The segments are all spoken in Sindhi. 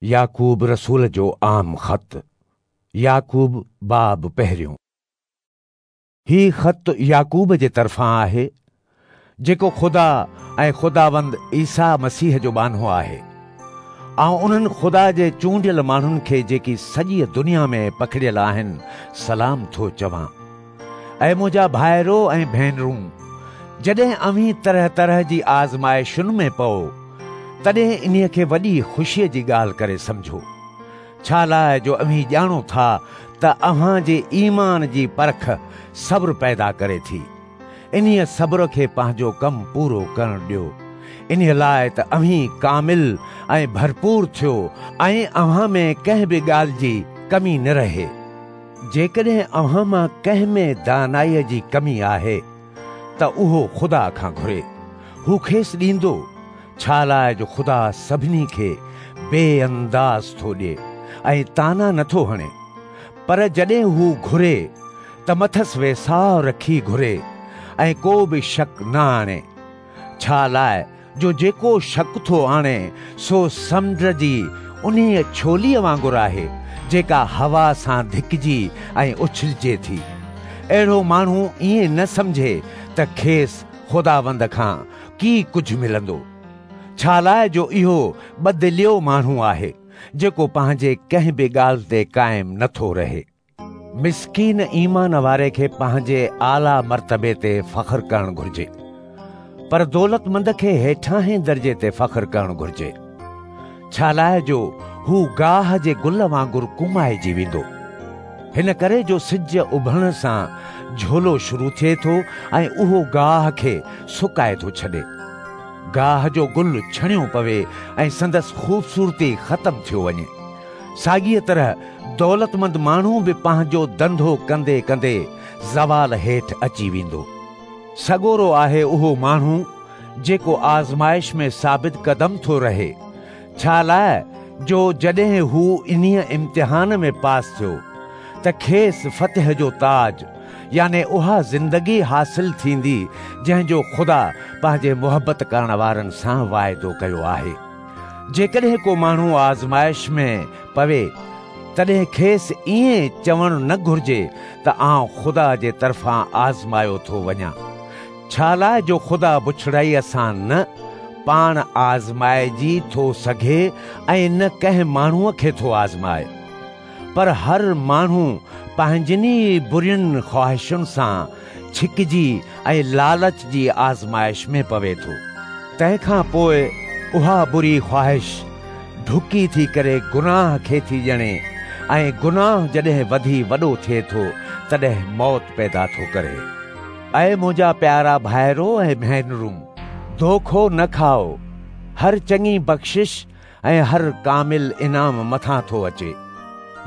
يعقوب رسول جو عام خط، يعقوب باب پهريون. هي خط يعقوب جي طرفان آهي، جيڪو خدا ۽ خداوند عيسيٰ مسيح جو ٻانهو آهي. آئون انهن خدا جي چونڊيل ماڻهن کي جيڪي سڄيء دنيا ۾ پکڙيل آهن، سلام ٿو چوان. اي منهنجا ڀائرو ۽ ڀينرون، جڏهن اوهين طرح طرح جي آزمائشن ۾ پئو، تڏهن انهيء کي وڏي خوشيء جي ڳالهه ڪري سمجهو، ڇا لاء جو اوهين ڄاڻو ٿا ته اوهان جي ايمان جي پرک صبر پيدا ڪري ٿي. انهيء صبر کي پنهنجو ڪم پورو ڪرڻ ڏيو، انهيء لاء ته اوهين ڪامل ۽ ڀرپور ٿيو ۽ اوهان ۾ ڪنهن به ڳالهه جي ڪمي نه رهي. جيڪڏهن اوهان مان ڪنهن ۾ دانائيء جي ڪمي آهي ته اهو خدا کان گهري، هو کيس ڏيندو، ڇا لاء جو خدا سڀني کي بي انداز ٿو ڏئي ۽ طعنا نٿو هڻي. پر جڏهن هو گهري ته مٿس ويساهه رکي گهري ۽ ڪو به شڪ نه آڻي، ڇا لاء جو جيڪو شڪ ٿو آڻي سو سمنڊ جي انهيء ڇوليء وانگر آهي، جيڪا هوا سان ڌڪجي ۽ اڇلجي ٿي. اهڙو ماڻهو ائين نه سمجهي ته کيس خداوند کان ڪي ڪجهه ملندو، ڇا لاء جو اهو بدليو ماڻهو آهي، جيڪو پنهنجي ڪنهن به ڳالهه تي قائم نٿو رهي. مسڪين ايمان واري کي پنهنجي اعليٰ مرتبي تي فخر ڪرڻ گهرجي، پر دولتمند کي هيٺاهين درجي تي فخر ڪرڻ گهرجي، ڇا لاء جو هو گاهه جي گل وانگر ڪومائجي ويندو. هن ڪري جو سج اڀرڻ سان جهولو شروع ٿئي ٿو ۽ اهو گاهه کي سڪائي ٿو ڇڏي. گاهه جو گل ڇڻيو پوي ۽ سندس خوبصورتي ختم ٿيو وڃي. ساڳيء طرح دولتمند ماڻهو به پنهنجو ڌنڌو ڪندي ڪندي زوال هيٺ اچي ويندو. سڳورو آهي اهو ماڻهو جيڪو آزمائش ۾ ثابت قدم ٿو رهي، ڇا لاء جو جڏهن هو انهيء امتحان ۾ پاس ٿيو ته کيس فتح جو تاج يعني اها زندگي حاصل ٿيندي جنهن جو خدا پنهنجي محبت ڪرڻ وارن سان واعدو ڪيو آهي. جيڪڏهن ڪو ماڻهو آزمائش ۾ پوي، تڏهن کيس ائين چوڻ نه گهرجي ته آئون خدا جي طرفان آزمايو ٿو وڃان. ڇا لاء جو خدا بڇڙائيء سان نه پاڻ آزمائجي ٿو سگهي ۽ نه ڪنهن ماڻهوء کي ٿو آزمائي. پر هر ماڻهو پنهنجين ئي برين خواهشن سان ڇڪجي ۽ لالچ جي آزمائش ۾ پوي ٿو. تنهن کان پوء اها بري خواهش ڍڪي ٿي ڪري گناهه کي ٿي ڄڻي ۽ گناهه جڏهن وڌي وڏو ٿئي ٿو تڏهن موت پيدا ٿو ڪري. اي منهنجا پيارا ڀائرو ۽ ڀينرون، دوکو نه کائو. هر چڱي بخشش ۽ هر ڪامل انعام مٿان ٿو اچي،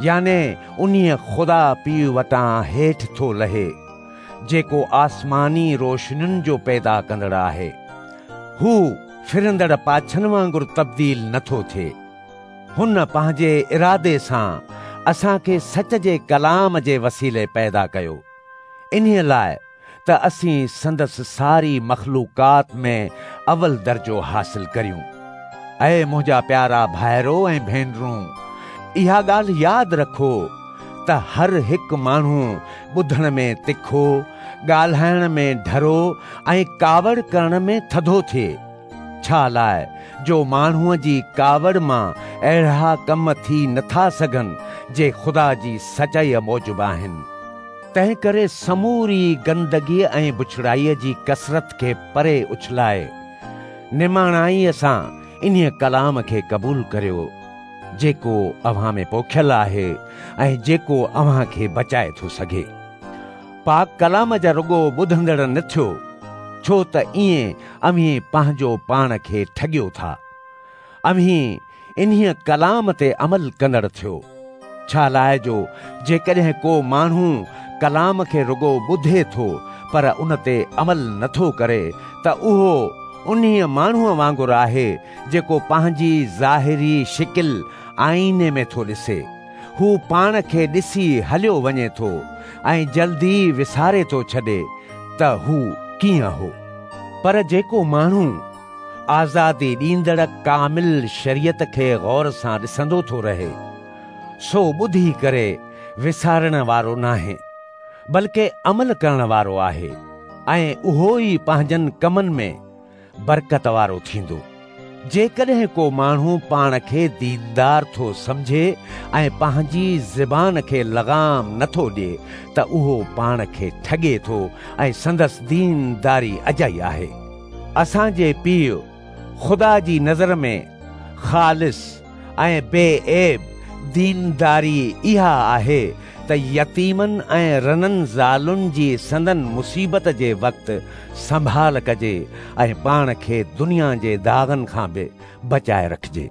يعني انهيء خدا پيء وٽان هيٺ ٿو لهي، جيڪو آسماني روشنين جو پيدا ڪندڙ آهي. هو ڦرندڙ پاڇن وانگر تبديل نٿو ٿئي. هن پنهنجي ارادي سان اسان کي سچ جي ڪلام جي وسيلي پيدا ڪيو، انهيء لاء ته اسين سندس ساري مخلوقات ۾ اول درجو حاصل ڪريون. اي منهنجا پيارا ڀائرو ۽ ڀينرون، اها ڳالهه ياد رکو ته هر هڪ ماڻهو ٻڌڻ ۾ تکو، ڳالهائڻ ۾ ڍرو ۽ ڪاوڙ ڪرڻ ۾ ٿڌو ٿئي، ڇا لاء جو ماڻهوء جي ڪاوڙ مان اهڙا ڪم ٿي نٿا سگهن جي خدا جي سچائيء موجب آهن. تنهنڪري سموري گندگيء ۽ بڇڙائيء جي ڪثرت کي پري اڇلائي، نماڻائيء سان انهيء ڪلام کي قبول ڪريو، جيڪو اوهان ۾ پوکيل آهي ۽ جيڪو اوهان کي بچائي ٿو سگهي. پاڪ ڪلام جا رڳو ٻڌندڙ نه ٿيو، ڇو ته ائين اوهين پنهنجو پاڻ کي ٺڳيو ٿا. اوهين انهيء ڪلام تي عمل ڪندڙ ٿيو. ڇا لاء جو جيڪڏهن ڪو ماڻهو ڪلام کي رڳو ٻڌي ٿو پر ان تي عمل نٿو ڪري ته اهو انهيء ماڻهوء وانگر آهي جيڪو پنهنجي ظاهري شڪل آئيني ۾ ٿو ڏسي. هو پاڻ کي ڏسي هليو وڃي ٿو ۽ جلدي وساري ٿو ڇڏي ته هو ڪيئن هو. پر جيڪو ماڻهو آزادي ڏيندڙ ڪامل شريعت کي غور سان ڏسندو ٿو رهي، سو ٻڌي ڪري وسارڻ وارو ناهي، بلڪه عمل ڪرڻ وارو آهي ۽ اهو ئي پنهنجن ڪمن ۾ برڪت وارو ٿيندو. جيڪڏهن ڪو ماڻهو پاڻ کي ديندار ٿو سمجهي ۽ پنهنجي زبان کي لغام نٿو ڏئي ته اهو پاڻ کي ٺڳي ٿو ۽ سندس دينداري اجائي آهي. اسان جي پيء خدا جي نظر ۾ خالص ۽ بي عيب دينداري اها آهي ته يتيمن ۽ رنن زالن جي سندن مصيبت جي وقت سنڀال ڪجي ۽ پاڻ کي دنيا جي داغن کان به بچائي رکجي.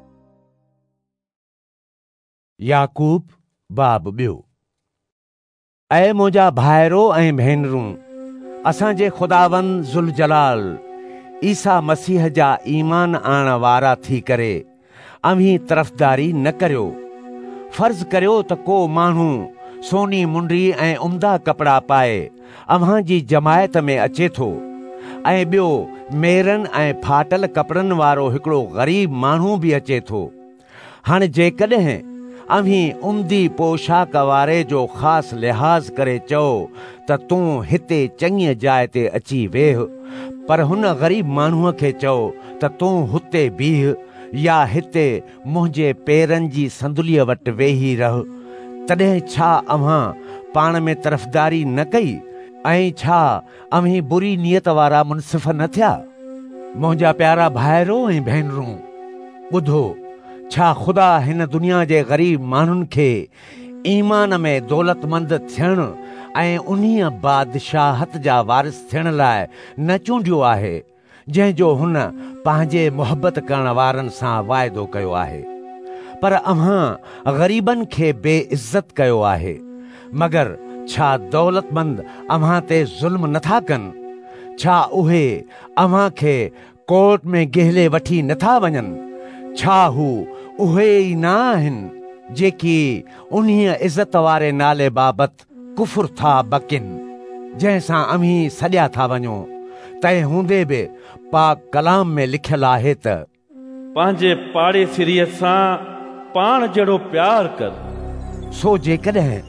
يعقوب باب ٻيو. اي منهنجا ڀائرو ۽ ڀينرون، اسان جي خداوند ذوالجلال عيسيٰ مسيح جا ايمان آڻڻ وارا ٿي ڪري اوهين طرفداري نه ڪريو. فرض ڪريو ته ڪو ماڻهو سوني منڊي ۽ عمدا ڪپڙا پائي اوهان جي جماعت ۾ اچي ٿو ۽ ٻيو ميرن ۽ ڦاٽل ڪپڙن وارو هڪڙو غريب ماڻهو به اچي ٿو. هاڻي جيڪڏهن اوهين عمدي پوشاڪ واري جو خاص لحاظ ڪري چئو ته تون هتي چڱيء جاء تي اچي ويهه، پر هن غريب ماڻهوء کي چئو ته تون هتي بيهه يا هتي منهنجي پيرن جي صندليء وٽ ويهي رهه، تڏهن ڇا اوهان پاڻ ۾ طرفداري نه ڪئي ۽ ڇا اوهين بري نيت وارا منصف نه ٿيا؟ منهنجا پيارا ڀائرو ۽ ڀينرون، ٻڌو، ڇا خدا هن دنيا جي غريب ماڻهن کي ايمان ۾ دولتمند ٿيڻ ۽ انهيء بادشاهت جا وارث ٿيڻ لاء نه چونڊيو آهي، جنهن جو هن پنهنجي محبت ڪرڻ وارن سان واعدو ڪيو آهي. پر اوهان غريبن کي بي عزت ڪيو آهي. مگر ڇا دولتمند اوهان تي ظلم نٿا ڪن؟ ڇا اهي اوهان کي ڪورٽ ۾ گهلي وٺي نٿا وڃن؟ ڇا هو اهي ئي نه آهن جيڪي انهيء عزت واري نالي بابت ڪفر ٿا بڪين، جنهن سان اوهين سڏيا ٿا وڃو؟ تنهن هوندي به پاڪ ڪلام ۾ لکيل آهي ته. پنهنجي پاڙيسريء سان پاڻ جهڙو پيار ڪر. سو جيڪڏهن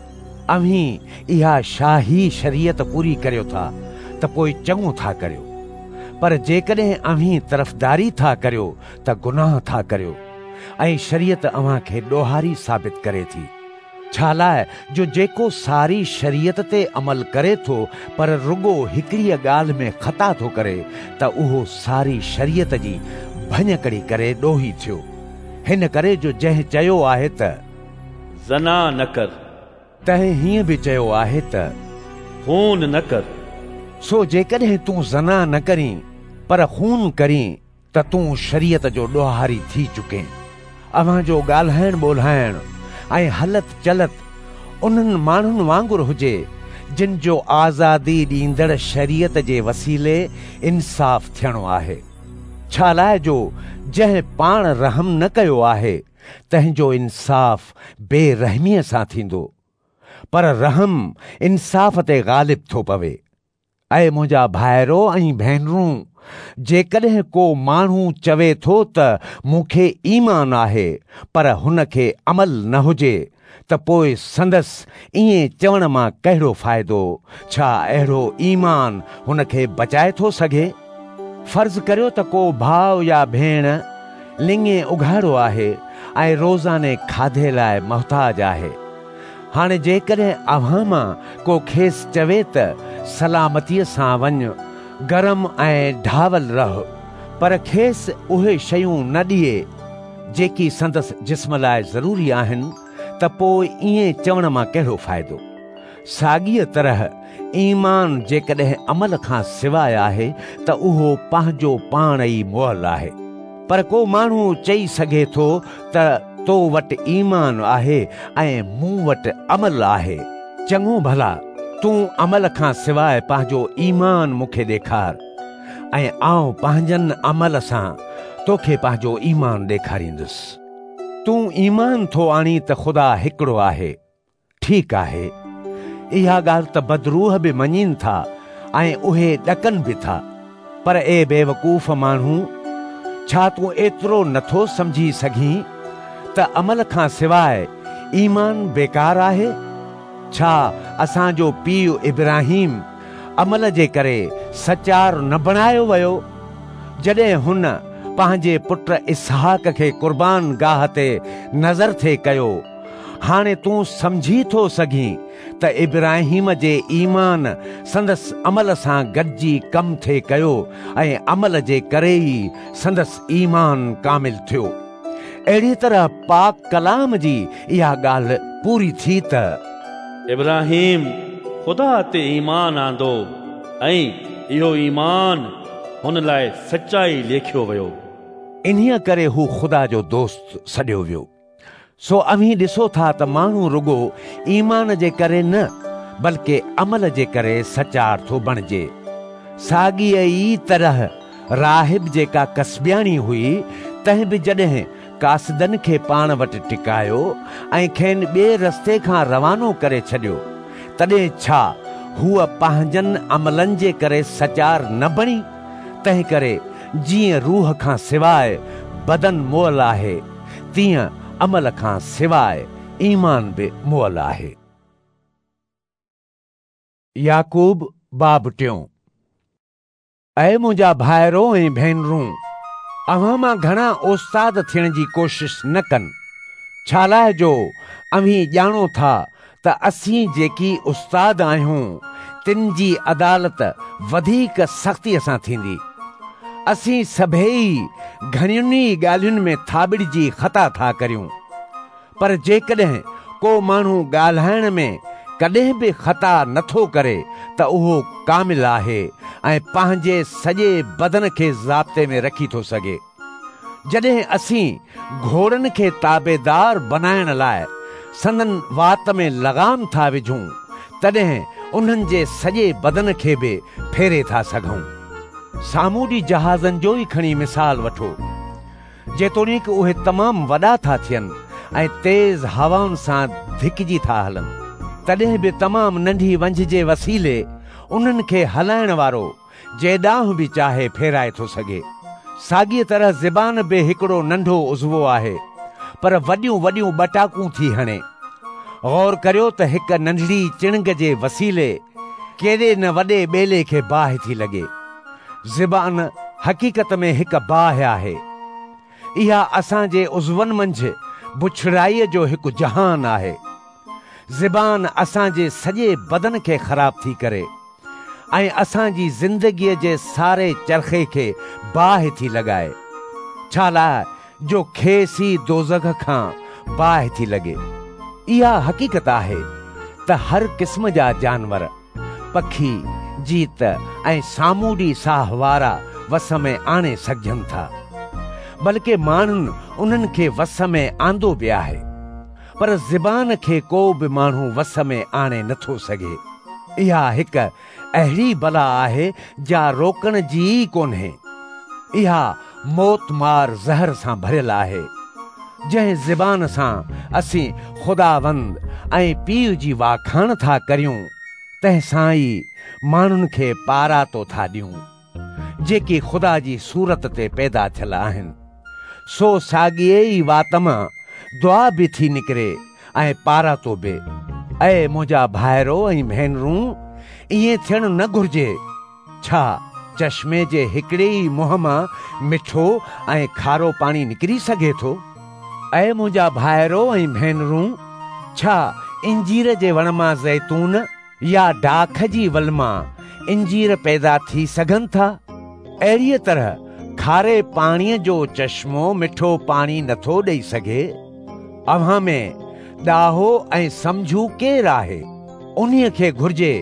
اوهين اها شاهي شريعت پوري ڪريو ٿا ته پوء چڱو ٿا ڪريو، پر جيڪڏهن اوهين طرفداري ٿا ڪريو ته گناهه ٿا ڪريو ۽ شريعت اوهان کي ڏوهاري ثابت ڪري ٿي. ڇالاء جو جيڪو ساري شريعت تي عمل ڪري ٿو پر رڳو هڪڙيء ڳالهه ۾ خطا ٿو ڪري ته اهو ساري شريعت جي ڀڃڪڙي ڪري ڏوهي ٿيو. هن ڪري جو جنهن چيو آهي ته. زنا نه ڪر. تنهن هيئن به چيو آهي ته. خون نه ڪر. سو جيڪڏهن تون زنا نه ڪرين پر خون ڪرين ته تون شريعت جو ڏوهاري ٿي چڪين. اوهان جو ڳالهائڻ ٻولهائڻ ۽ هلت چلت انهن ماڻهن وانگر هجي، جن جو آزادي ڏيندڙ شريعت جي وسيلي انصاف ٿيڻو آهي. ڇالاء جو جنهن پاڻ رحم نه ڪيو آهي، تنهن جو انصاف بي رحميء سان ٿيندو. پر رحم انصاف تي غالب ٿو پوي. اي منهنجا ڀائرو ۽ ڀينرون، جيڪڏهن ڪو ماڻهو چوي ٿو ته مون کي ايمان آهي، پر هن کي عمل نه هجي، ته پوء سندس ائين چوڻ مان ڪهڙو فائدو؟ ڇا اهڙو ايمان هن کي بچائي ٿو سگهي؟ فرض ڪريو ته ڪو ڀاء يا ڀيڻ لڱين اگهاڙو آهي ۽ روزاني کاڌي لاء محتاج آهي. هاڻي جيڪڏهن اوهان مان ڪو کيس چوي ته سلامتيء سان وڃ، گرم ۽ ڍاول رهه، پر کيس اهي شيون نه ڏئي، جيڪي سندس جسم لاء ضروري آهن، ته پوء ائين چوڻ مان ڪهڙو فائدو؟ ساڳيء طرح ايمان جيڪڏهن عمل کان سواء آهي ته اهو پنهنجو پاڻ ئي مئل آهي. پر ڪو ماڻهو چئي سگهي ٿو ته تو وٽ ايمان آهي ۽ مون وٽ عمل آهي. چڱو ڀلا، تون عمل کان سواء پنهنجو ايمان مون کي ڏيکار ۽ آئون پنهنجن عمل سان توکي پنهنجو ايمان ڏيکاريندس. تون ايمان ٿو آڻين ته خدا هڪڙو آهي. ٺيڪ آهي، اها ڳالهه ته بدروح به مڃين ٿا ۽ اهي ڏڪن به ٿا. پر اي بيوقوف ماڻهو، ڇا تون ايترو نٿو سمجهي سگهين ته عمل کان سواء ايمان بيڪار آهي؟ ڇا اسان جو پيء ابراهيم عمل جي ڪري سچار نه بڻايو ويو، جڏهن هن پنهنجي پٽ اسحاق کي قربان گاهه تي نذر ٿي ڪيو؟ هاڻي تون سمجهي ٿو سگهين ته ابراهيم جي ايمان سندس عمل سان گڏجي ڪم ٿي ڪيو ۽ عمل جي ڪري ئي سندس ايمان ڪامل ٿيو. اهڙيء طرح پاڪ ڪلام جي اها ڳالهه پوري ٿي ته ابراهيم خدا تي ايمان آندو ۽ اهو ايمان هن لاء سچائي ليکيو ويو. انهيء ڪري هو خدا جو دوست سڏيو ويو. سو اوهين ڏسو ٿا ته ماڻهو رڳو ايمان جي ڪري نه بلڪه عمل جي ڪري سچار ٿو بڻجي. ساڳيء ئي طرح راحب جيڪا ڪسبياڻي هئي، تنهن به جڏهن قاصدن کي پاڻ وٽ ٽڪايو ۽ کين ٻئي رستي کان روانو ڪري ڇڏيو، تڏهن ڇا هوء پنهنجن عملن جي ڪري سچار نه بڻي؟ تنهنڪري جيئن روح کان سواء بدن مئل آهي، تيئن عمل کان سواء ايمان به مئل آهي. يعقوب باب ٽيون. اي منهنجا ڀائرو ۽ ڀينرون، اوهان مان گهڻا استاد ٿيڻ جي ڪوشش نه ڪن، ڇالاء جو اوهين ڄاڻو ٿا ته اسين جيڪي استاد آهيون، تن جي عدالت وڌيڪ سختيء سان ٿيندي. اسين سڀيئي گهڻين ئي ڳالهين ۾ ٿاٻڙجي خطا ٿا ڪريون. پر جيڪڏهن ڪو ماڻهو ڳالهائڻ ۾ ڪڏهن به خطا نٿو ڪري ته اهو ڪامل آهي ۽ پنهنجي سڄي بدن کي ضابطي ۾ رکي ٿو سگهي. جڏهن اسين گهوڙن کي تابعدار بنائڻ لاء سندن وات ۾ لغام ٿا وجهون، تڏهن انهن جي سڄي بدن کي به ڦيري ٿا سگهون. سامونڊي جهازن جو ئي کڻي مثال وٺو. جيتوڻيڪ اهي تمام وڏا ٿا ٿين ۽ تيز هوائن سان ڌڪجي ٿا هلن، تڏهن به تمام ننڍي ونجهه جي وسيلي انهن کي هلائڻ وارو جيڏانهن به چاهي ڦيرائي ٿو سگهي. ساڳيء طرح زبان به هڪڙو ننڍو عضوو آهي، پر وڏيون وڏيون ٻٽاڪون ٿي هڻي. غور ڪريو ته هڪ ننڍڙي چڻنگ جي وسيلي ڪيڏي نه وڏي ٻيلي کي باهه ٿي لڳي. زبان حقيقت ۾ هڪ باهه آهي. اها اسان جي عضون منجهه بڇڙائيء جو هڪ جهان آهي. زبان اسان جي سڄي بدن کي خراب ٿي ڪري ۽ اسان جي زندگيء جي ساري چرخي کي باهه ٿي لڳائي، ڇالاء جو کيس ئي دوزخ کان باهه ٿي لڳي. اها حقيقت آهي ته هر قسم جا جانور، پکي، جيت ۽ سامونڊي ساهوارا وس ۾ آڻي سگهجن ٿا، بلڪه ماڻهن انهن کي وس ۾ آندو به آهي، پر زبان کي ڪو به ماڻهو وس ۾ آڻي نٿو سگهي. اها هڪ اهڙي بلا آهي جا روڪڻ جي ئي ڪونهي. اها موتمار زهر سان ڀريل آهي. جنهن زبان سان اسين خداوند ۽ پيء جي واکاڻ ٿا ڪريون، تنهن سان ئي ماڻهن کي پاراتو ٿا ڏيون، جيڪي خدا جي صورت تي پيدا ٿيل آهن. سو ساڳيء ئي وات مان دعا به ٿي نڪري ۽ پاراتو به. اي منهنجا ڀائرو ۽ ڀينرون، ائين ٿيڻ نه گهرجي. ڇا چشمي جي هڪڙي ئي منهن مان مٺو ۽ کارو پاڻي نڪري سگهي ٿو؟ اي منهنجا ڀائرو ۽ ڀينرون، ڇا انجير جي وڻ مان زيتون يا ڊاک جي ول مان انجير پيدا ٿي سگهن ٿا؟ اهڙيء طرح کاري پاڻيء جو چشمو مٺو پاڻي نٿو ڏئي سگهي. اوهان ۾ ڏاهو ۽ سمجهو ڪير آهي؟ انهيء کي گهرجي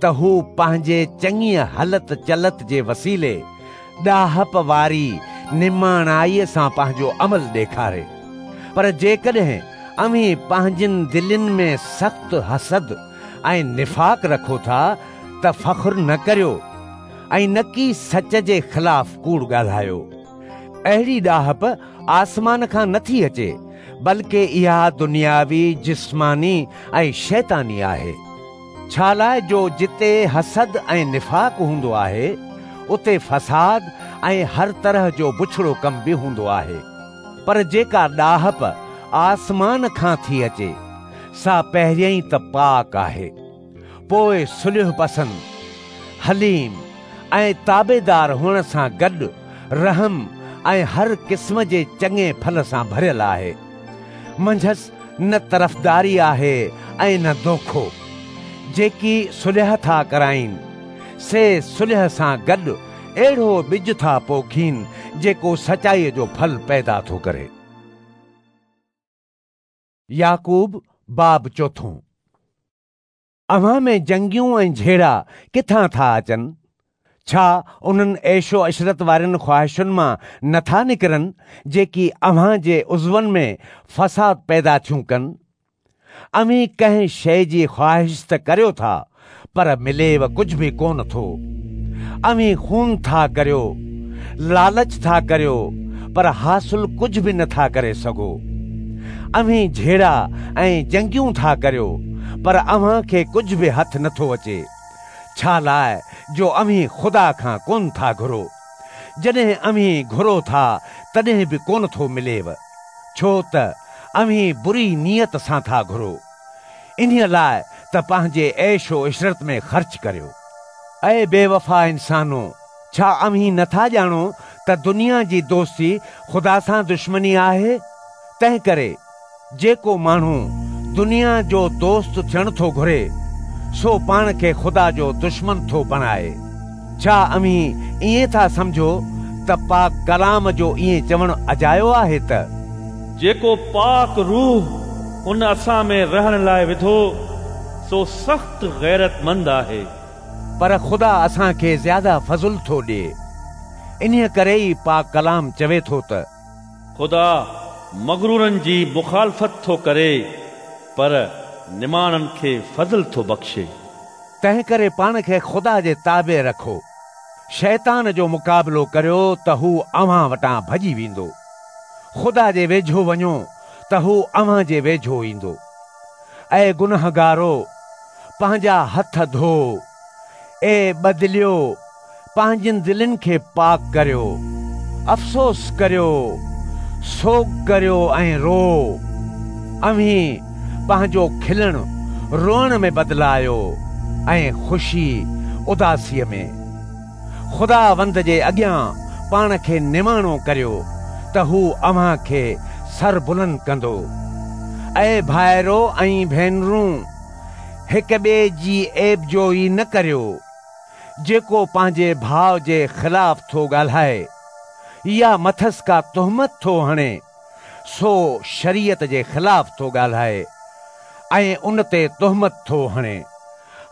ته هو پنهنجي چڱيء هلت چلت جي وسيلي ڏاهپ واري نماڻائيء سان پنهنجو عمل ڏيکاري. پر جيڪڏهن اوهين پنهنجين دلين ۾ سخت حسد ۽ نفاق رکو ٿا ته فخر نه ڪريو ۽ نڪي سچ جي خلاف ڪوڙ ڳالهايو. اهڙي ڏاهپ آسمان کان نٿي اچي، بلڪه اها دنياوي، جسماني ۽ شيطاني آهي. ڇالاء جو جتي حسد ۽ نفاق هوندو آهي، اتي فساد ۽ هر طرح جو بڇڙو ڪم به هوندو آهي. پر جيڪا ڏاهپ آسمان کان ٿي اچي، سا پهريائين ته پاڪ آهي، پوء صلح پسند، حليم ۽ تابعدار هئڻ سان گڏ رحم ۽ هر قسم جي چڱي ڦل سان ڀريل آهي. منجهس نه طرفداري آهي ۽ نه دوکو. جيڪي صلح ٿا ڪرائين، سي صلح سان گڏ اهڙو ٻج ٿا پوکين جيڪو سچائيء جو ڦل پيدا ٿو ڪري. يعقوب باب چوٿون. اوهان ۾ جنگيون ۽ جهيڙا ڪٿان ٿا اچن؟ ڇا انهن عيش و عشرت وارين خواهشن مان نه ٿا نڪرن جيڪي اوهان جي عضون ۾ فساد پيدا ٿيون ڪن؟ اوهين ڪنهن شيء جي خواهش ته ڪريو ٿا، پر مليو ڪجهه به ڪونه ٿو. اوهين خون ٿا ڪريو، لالچ ٿا ڪريو، پر حاصل ڪجهه به نه ٿا ڪري سگهو. اوهين جهيڙا ۽ جنگيون ٿا ڪريو، پر اوهان کي ڪجهه به هٿ نه ٿو اچي، ڇا لاء جو اوهين خدا کان ڪونه ٿا گهرو. جڏهن اوهين گهرو ٿا، تڏهن به ڪونه ٿو مليو. ڇو ته اوهين بري نيت سان ٿا گهرو، انهيء لاء ته پنهنجي عيش و عشرت ۾ خرچ ڪريو. اي بيوفا انسانو، ڇا اوهين نه ٿا ڄاڻو ته دنيا جي دوستي خدا سان دشمني آهي؟ تنهنڪري جيڪو ماڻهو دنيا جو دوست ٿيڻ ٿو گهري، سو پاڻ کي خدا جو دشمن ٿو بڻائي. ڇا اوهين ائين ٿا سمجهو ته پاڪ ڪلام جو ائين چوڻ اجايو آهي ته. جيڪو پاڪ روح ان اسان ۾ رهڻ لاء وڌو، سو سخت غيرتمند آهي. پر خدا اسان کي زياده فضل ٿو ڏئي. انهيء ڪري ئي پاڪ ڪلام چوي ٿو ته. خدا مغرورن جي مخالفت ٿو ڪري، پر نماڻن کي فضل ٿو بخشي. تنهنڪري پاڻ کي خدا جي تابع رکو. شيطان جو مقابلو ڪريو ته هو اوهان وٽان ڀڄي ويندو. خدا جي ويجهو وڃو ته هو اوهان جي ويجهو ايندو. اي گنهگارو، پنهنجا هٿ ڌو. اي بددليو، پنهنجين دلين کي پاڪ ڪريو. افسوس ڪريو، سوڳ ڪريو ۽ روئو. اوهين پنهنجو کلڻ روئڻ ۾ بدلايو ۽ خوشي اداسيء ۾. خداوند جي اڳيان پاڻ کي نماڻو ڪريو ته هو اوهان کي سربلند ڪندو. اي ڀائرو ۽ ڀينرون! هڪ ٻئي جي عيبجوئي نه ڪريو. جيڪو پنهنجي ڀاء جي خلاف ٿو ڳالهائي يا مٿس ڪا تهمت ٿو هڻي، سو شريعت جي خلاف ٿو ڳالهائي ۽ ان تي تهمت ٿو هڻي.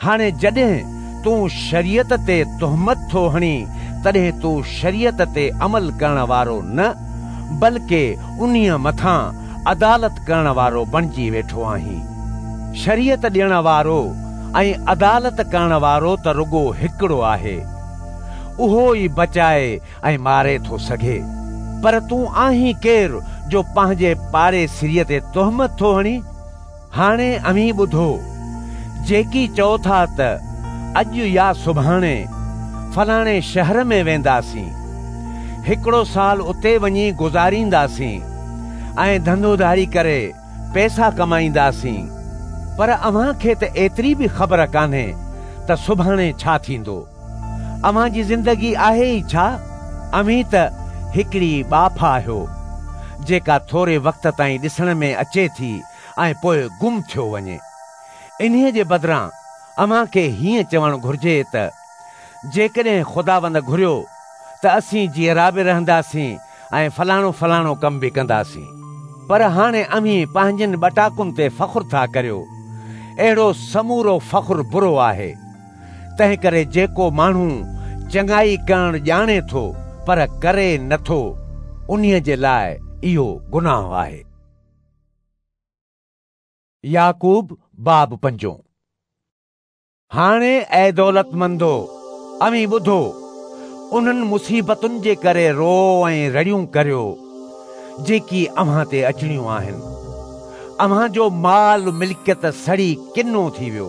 هاڻي جڏهن تون شريعت تي تهمت ٿو هڻين، تڏهن تون شريعت تي عمل ڪرڻ وارو نه، بلڪه انهيء مٿان عدالت ڪرڻ وارو بڻجي ويٺو آهين. شريعت ڏيڻ وارو ۽ عدالت ڪرڻ وارو ته رڳو هڪڙو آهي. اهو ئي بچائي ۽ ماري ٿو سگهي. پر تون آهين ڪير جو پنهنجي پاڙيسريء تي تهمت ٿو هڻين؟ هاڻي اوهين ٻڌو، جيڪي چئو ٿا ته اڄ يا سڀاڻي فلاڻي شهر ۾ وينداسين، هڪڙو سال اتي وڃي گذارينداسين ۽ ڌنڌوڌاڙي ڪري پئسا ڪمائينداسين، پر اوهان کي ته ايتري به خبر ڪانهي ته سڀاڻي ڇا ٿيندو. اوهان جي زندگي آهي ئي ڇا؟ اوهين ته هڪڙي ٻاڦ آهيو، جيڪا ٿوري وقت تائين ڏسڻ ۾ اچي ٿي ۽ پوء گم ٿيو وڃي. انهيء جي بدران اوهان کي هيئن چوڻ گهرجي ته جيڪڏهن خداوند گهريو ته اسين جيئرا به رهنداسين ۽ فلاڻو فلاڻو ڪم به ڪنداسين. پر هاڻي اوهين پنهنجين ٻٽاڪن تي فخر ٿا ڪريو. اهڙو سمورو فخر برو آهي. تنهنڪري جيڪو ماڻهو چڱائي ڪرڻ ڄاڻي ٿو پر ڪري نه ٿو، انهيء جي لاء اهو گناهه آهي. يعقوب باب پنجون. هاڻي اي دولتمندو، اوهين ٻڌو، انهن مصيبتن جي ڪري روئو ۽ رڙيون ڪريو، جيڪي اوهان تي اچڻيون آهن. اوهان جو مال ملڪيت سڙي ڪنو ٿي ويو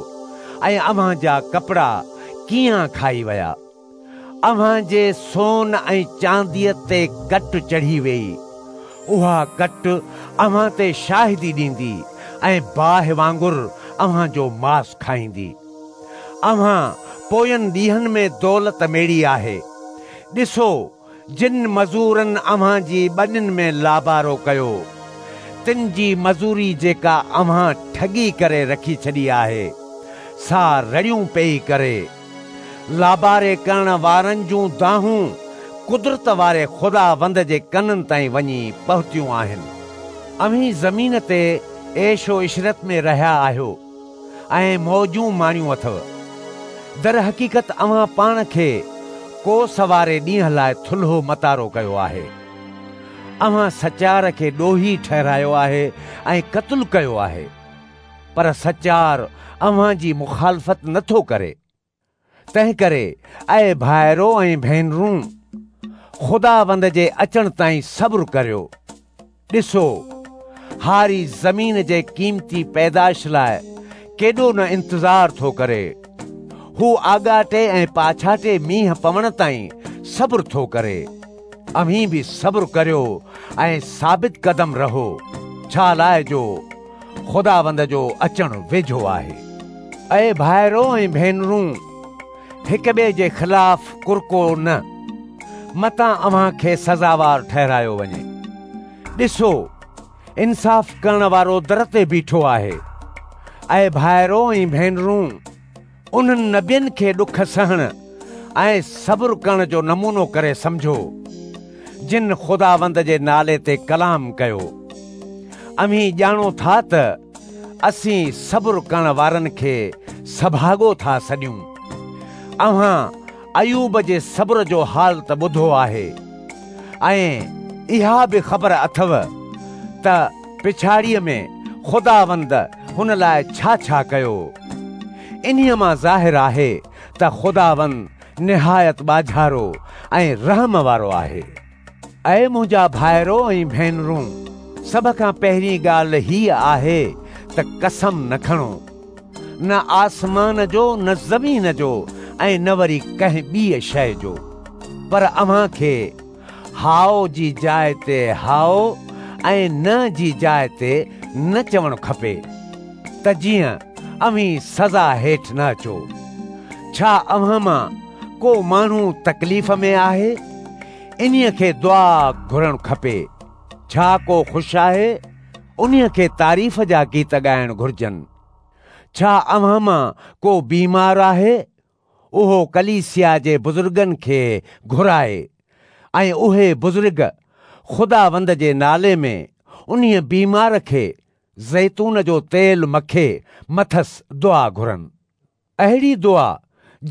۽ اوهان جا ڪپڙا ڪينئان کائي ويا. اوهان جي سون ۽ چانديء تي ڪٽ چڙهي ويئي. اها ڪٽ اوهان تي شاهدي ڏيندي ۽ باهه وانگر اوهان جو ماس کائيندي. اوهان پوين ڏينهن ۾ دولت ميڙي آهي. ڏسو، جن مزورن اوهان جي ٻنين ۾ لابارو ڪيو، تن جي مزوري جيڪا اوهان ٺڳي ڪري رکي ڇڏي آهي، سا رڙيون پيئي ڪري. لاباري ڪرڻ وارن جون دانهون قدرت واري خداوند جي ڪنن تائين وڃي پهتيون آهن. اوهين زمين تي عيش و عشرت ۾ رهيا آهيو ۽ موجون ماڻيون اٿو. درحقيقت اوهان پاڻ کي ڪوس واري ڏينهن لاء ٿلهو متارو ڪيو آهي. اوهان سچار کي ڏوهي ٺهرايو آهي ۽ قتل ڪيو آهي. پر سچار اوهان جي مخالفت نه ٿو ڪري. تنهنڪري اي ڀائرو ۽ ڀينرون، خداوند جي اچڻ تائين صبر ڪريو. ڏسو، هاري زمين جي قيمتي پيدائش لاء ڪيڏو نه انتظار ٿو ڪري. هو آڳاٽي ۽ پاڇاٽي مينهن پوڻ تائين صبر ٿو ڪري. اوهين به صبر ڪريو ۽ ثابت قدم رهو، ڇا لاء جو خداوند جو اچڻ ويجهو آهي. اي ڀائرو ۽ ڀينرون، هڪ ٻئي جي خلاف ڪرڪو نه، متان اوهان کي سزاوار ٺهرايو وڃي. ڏسو، انصاف ڪرڻ وارو در تي بيٺو آهي. اي ڀائرو ۽ ڀينرون، انهن نبين کي ڏک سهڻ ۽ صبر ڪرڻ جو نمونو ڪري سمجهو، جن خداوند جي نالي تي ڪلام ڪيو. اوهين ڄاڻو ٿا ته اسين صبر ڪرڻ وارن کي سڀاڳو ٿا سڏيون. اوهان ايوب جي صبر جو حال ته ٻڌو آهي ۽ اها به خبر اٿو ته پڇاڙيء ۾ خداوند هن لاء ڇا ڇا ڪيو. انهيء مان ظاهر آهي ته خداوند نهايت ٻاجهارو ۽ رحم وارو آهي. اي منهنجا ڀائرو ۽ ڀينرون، سڀ کان پهرين ڳالهه هيء آهي ته قسم نه کڻو، نه آسمان جو، نه زمين جو ۽ نه وري ڪنهن ٻيء شيء جو، پر اوهان کي هائو جي جاء تي هائو ۽ نه جي جاء تي نه چوڻ کپي، ته جيئن اوهين سزا هيٺ نه اچو. ڇا اوهان مان ڪو ماڻهو تڪليف ۾ آهي؟ انهيء کي دعا گهرڻ کپي. ڇا ڪو خوش آهي؟ انهيء کي تعريف جا گيت ڳائڻ گهرجن. ڇا اوهان مان ڪو بيمار آهي؟ اهو ڪليسيا جي بزرگن کي گهرائي ۽ اهي بزرگ خداوند جي نالي ۾ انهيء بيمار کي زيتون جو تيل مکي مٿس دعا گهرن. اهڙي دعا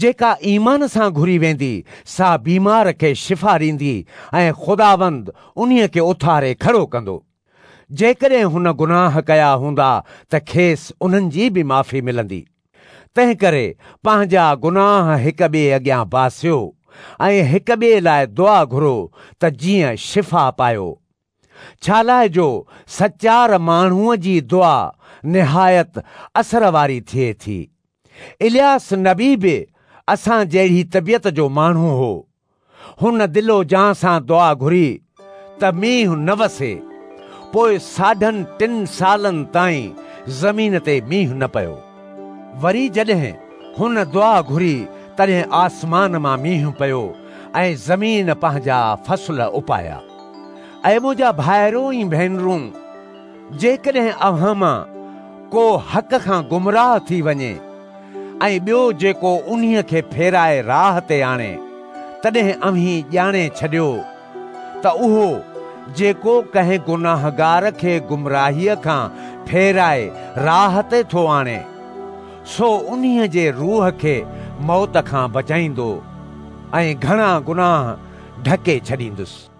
جيڪا ايمان سان گهري ويندي، سا بيمار کي شفا ڏيندي ۽ خداوند انهيء کي اٿاري کڙو ڪندو. جيڪڏهن هن گناهه ڪيا هوندا ته کيس انهن جي به معافي ملندي. تنهنڪري پنهنجا گناهه هڪ ٻئي اڳيان باسيو ۽ هڪ ٻئي لاء دعا گهرو ته جيئن شفا پايو. ڇالاء جو سچار ماڻهوء جي دعا نهايت اثر واري ٿئي ٿي. الياس نبي به اسان جهڙي طبيعت جو ماڻهو هو. هن دل و جان سان دعا گهري ته مينهن نه وسي. پوء ساڍن ٽن سالن تائين زمين تي مينهن نه پيو. وري جڏهن هن دعا گهري تڏهن آسمان مان مينهن پيو ۽ زمين پنهنجا فصل اپايا. اي منهنجا ڀائرو ۽ ڀينرون، جيڪڏهن اوهان مان ڪو حق کان گمراهه ٿي وڃي ۽ ٻيو جيڪو انهيء کي ڦيرائي راهه تي آڻي، تڏهن اوهين ڄاڻي ڇڏيو ته اهو جيڪو ڪنهن گناهگار کي گمراهيء کان ڦيرائي راهه تي ٿو آڻي، سو انهيء جي روح کي موت کان بچائيندو ۽ گهڻا گناهه ڍڪي ڇڏيندس.